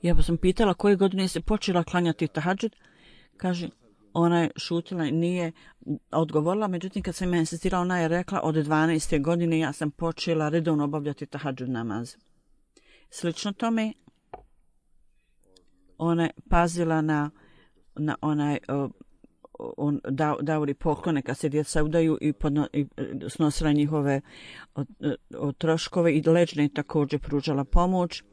ja sam pitala koje godine se počela klanjati tahadžud, kaže, ona je šutila i nije odgovorila, međutim kad sam ja insistirala, ona je rekla od 12. godine ja sam počela redovno obavljati tahadžud namaz. Slično tome, ona je pazila na onaj davori poklone kad se djeca udaju i snosila njihove troškove i leđne također pružala pomoć.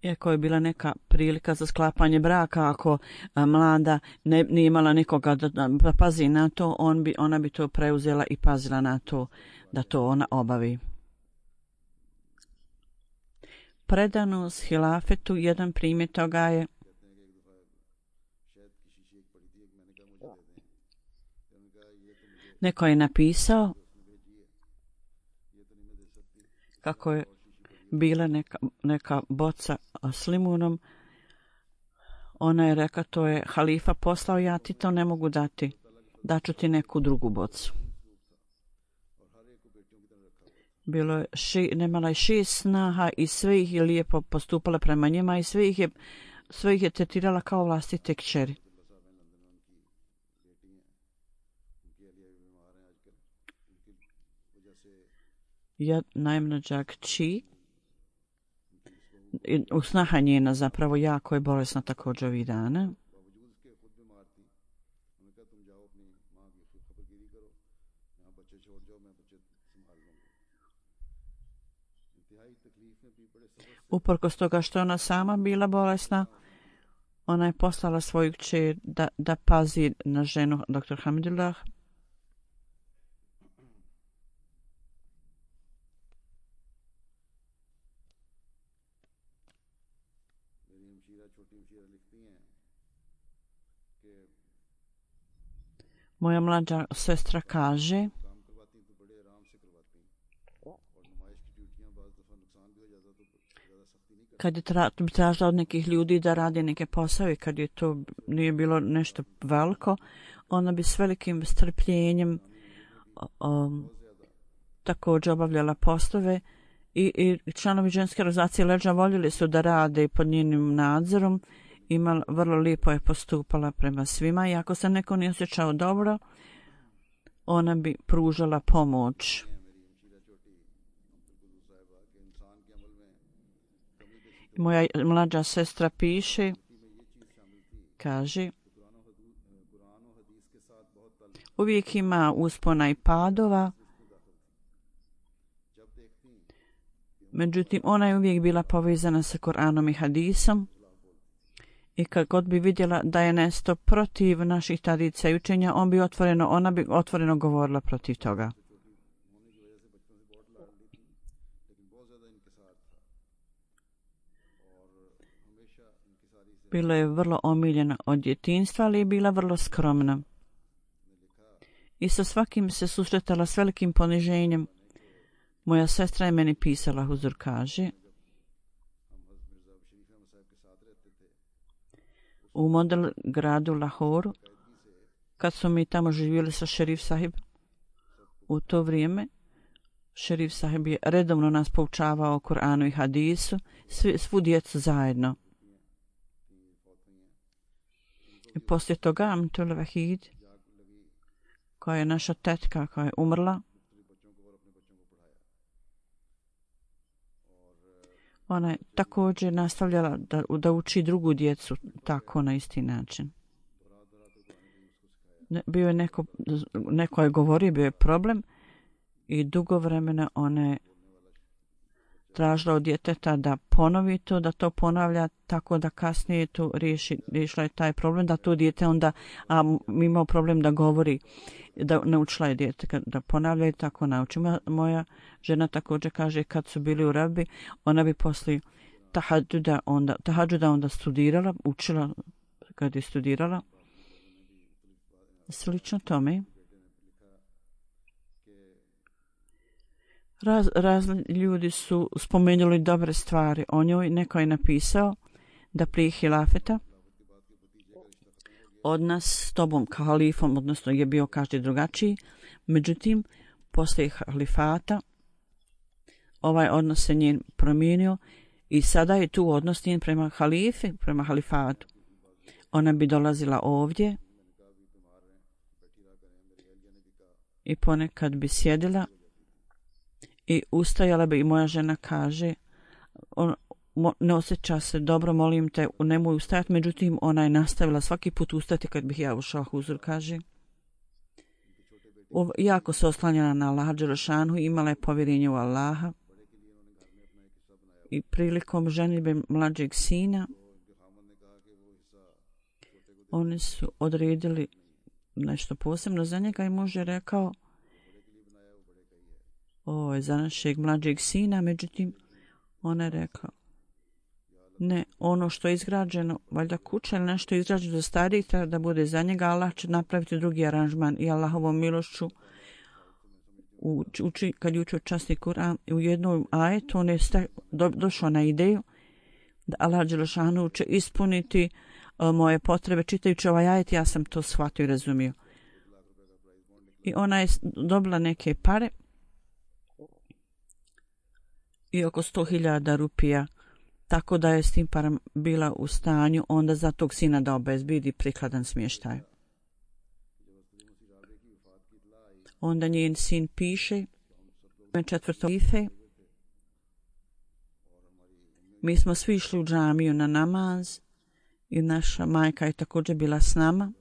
Iako je bila neka prilika za sklapanje braka, ako mlada nije imala nikoga da pazi na to, ona bi to preuzela i pazila na to da to ona obavi. Predanost hilafetu, jedan primjer toga je neko je napisao kako je bila neka boca s limunom. Ona je rekla, to je halifa poslao, ja ti to ne mogu dati. Daću ti neku drugu bocu. Bilo je nemala je 6 snaha i sve ih je lijepo postupala prema njima i sve ih je tretirala kao vlastite kćeri. Najmlađa kći, snaha njena zapravo jako je bolesna također ovih dana. Uprkos toga što ona sama bila bolesna, ona je poslala svoju kćer da pazi na ženu dr. Hamidullah. Moja mlađa sestra kaže kad je tražila od nekih ljudi da radi neke posao i kad je to nije bilo nešto veliko, ona bi s velikim strpljenjem također obavljala poslove i članovi ženske organizacije Leđa voljeli su da rade pod njenim nadzorom. Vrlo lijepo je postupala prema svima i ako se neko nije osjećao dobro, ona bi pružala pomoć. Moja mlađa sestra piše, kaže, uvijek ima uspona i padova, međutim ona je uvijek bila povezana sa Koranom i hadisom i kad god bi vidjela da je nešto protiv naših tradicija i učenja, ona bi otvoreno govorila protiv toga. Bila je vrlo omiljena od djetinjstva, ali je bila vrlo skromna. I sa svakim se susretala s velikim poniženjem. Moja sestra je meni pisala, Huzur kaže, u model gradu Lahoru, kad su mi tamo živjeli sa šerif sahib, u to vrijeme šerif sahib je redovno nas poučavao o Kur'anu i hadisu, svu djecu zajedno. I poslije toga Amtul Vahid, koja je naša tetka koja je umrla, ona je također nastavljala da uči drugu djecu tako na isti način. Bio je neko je govorio, bio je problem i dugo vremena ona je tražila od djeteta da ponovi to, da to ponavlja tako da kasnije to riješila je taj problem, da to dijete onda, imao problem da govori, da naučila je dijete da ponavlja i tako nauči. Moja žena također kaže kad su bili u Rabi, ona bi poslije tahadžuda onda studirala, učila kad je studirala. Slično tome. Razni ljudi su spomenuli dobre stvari o njoj. Neko je napisao da prije hilafeta odnos s tobom kao halifom, odnosno je bio každi drugačiji, međutim, poslije halifata ovaj odnos se njen promijenio i sada je tu odnos njen prema halifi, prema halifatu. Ona bi dolazila ovdje i ponekad bi sjedila i ustajala bi i moja žena kaže, ne osjeća se dobro, molim te, nemoj ustajati, međutim ona je nastavila svaki put ustati kad bih ja ušao, Huzur kaže. Jako se oslanjala na Allaha dželešanu, imala je povjerenje u Allaha i prilikom ženidbe mlađeg sina oni su odredili nešto posebno za njega i muž je rekao ovo je za našeg mlađeg sina, međutim ona je rekla ne, ono što je izgrađeno, valjda kuća ili nešto izgrađeno za starijih treba da bude za njega, Allah će napraviti drugi aranžman i Allahovom milošću kad je učio časni Kur'an u jednom ajetu on je došao na ideju da Allah dželešanu će ispuniti moje potrebe. Čitajući ovaj ajet ja sam to shvatio i razumio. I ona je dobila neke pare i oko 100.000 rupija, tako da je s tim param bila u stanju onda za tog sina da obezbedi prikladan smještaj. Onda njen sin piše 4. Mi smo svi išli u džamiju na namaz i naša majka je također bila s nama.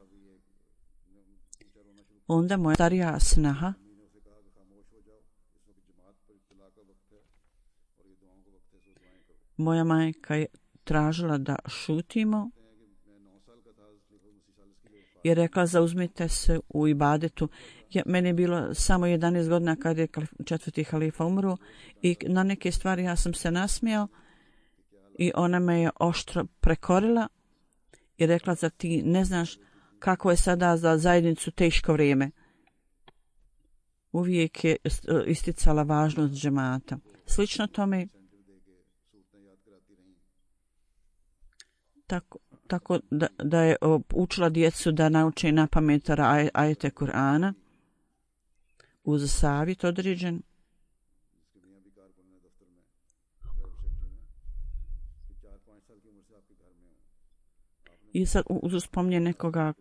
Onda moja starija snaha moja majka je tražila da šutimo i rekla zauzmite se u ibadetu. Meni je bilo samo 11 godina kad je 4. halifa umro i na neke stvari ja sam se nasmijao i ona me je oštro prekorila i rekla zar ti ne znaš kako je sada za zajednicu teško vrijeme. Uvijek je isticala važnost džemata. Slično tome tako da je učila djecu da nauče na pamet ajete Kur'ana uz savjet određen. I sad uspomnje nekoga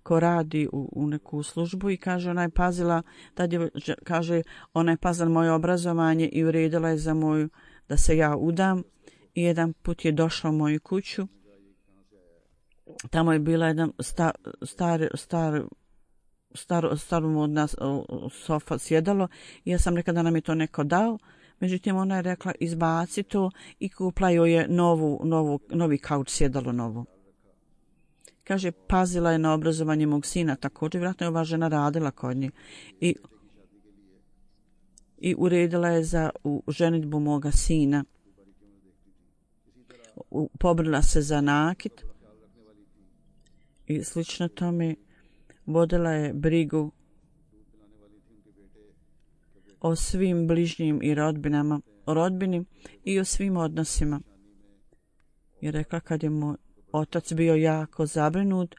ko radi u neku službu i kaže ona je pazila, kaže ona je pazila moje obrazovanje i uredila je za moju da se ja udam. I jedan put je došla u moju kuću. Tamo je bila jedan staromodna sofa sjedalo i ja sam rekla da nam je to neko dao. Međutim, ona je rekla izbaci to i kupla joj je novi kauč sjedalo novo. Kaže, pazila je na obrazovanje mog sina, također vjerojatno je ova žena radila kod nje i uredila je za ženidbu moga sina. Pobrila se za nakit i slično tome vodila je brigu o svim bližnjim i rodbini i o svim odnosima. I rekla kad je moj otac bio jako zabrinut,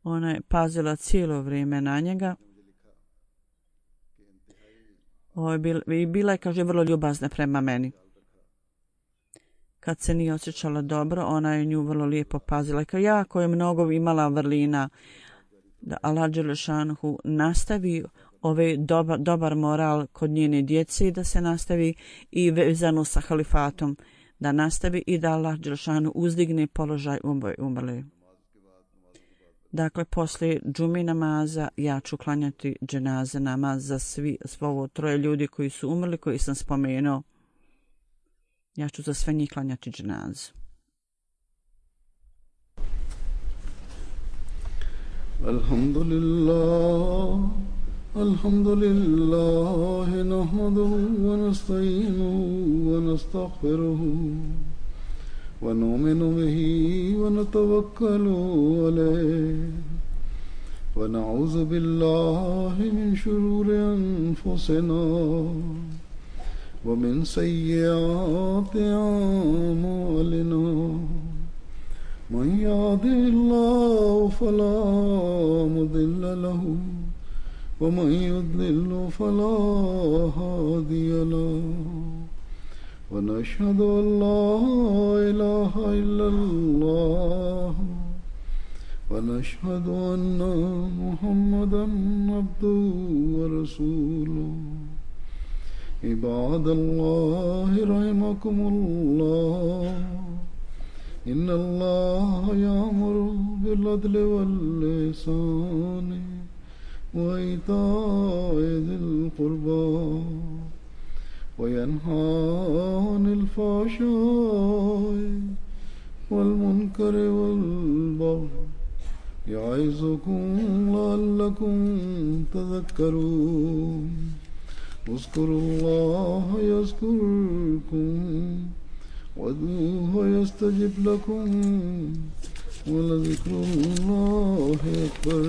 ona je pazila cijelo vrijeme na njega. Bila je, kaže, vrlo ljubazna prema meni. Kad se nije osjećala dobro, ona je nju vrlo lijepo pazila. Kao jako je mnogo imala vrlina da Allah dželešanuhu nastavi dobar moral kod njene djece i da se nastavi i vezano sa halifatom da nastavi i da Allah dželešanuhu uzdigne položaj umrle. Dakle, poslije džumi namaza ja ću klanjati dženaze namaz za svo troje ljudi koji su umrli, koji sam spomenuo. Ja ću za sve njih klanjati dženazu. Alhamdulillah, nahmaduhu wa nasta'inuhu wa nastaghfiruhu wa nu'minu bihi wa natawakkalu alayhi wa na'udhu billahi min shururi anfusina ومن سيئات أعمالنا من يهده الله فلا مضل له ومن يضلل فلا هادي له ونشهد أن لا إله إلا الله ونشهد أن محمدا عبده ورسوله عباد الله رحمكم الله إن الله يأمر بالعدل والإحسان وإيتاء ذي القربى وينهى عن الفحشاء والمنكر والبغي يعظكم لعلكم تذكرون اذكروا الله يذكركم وادعوه يستجب لكم ولذكر الله أكبر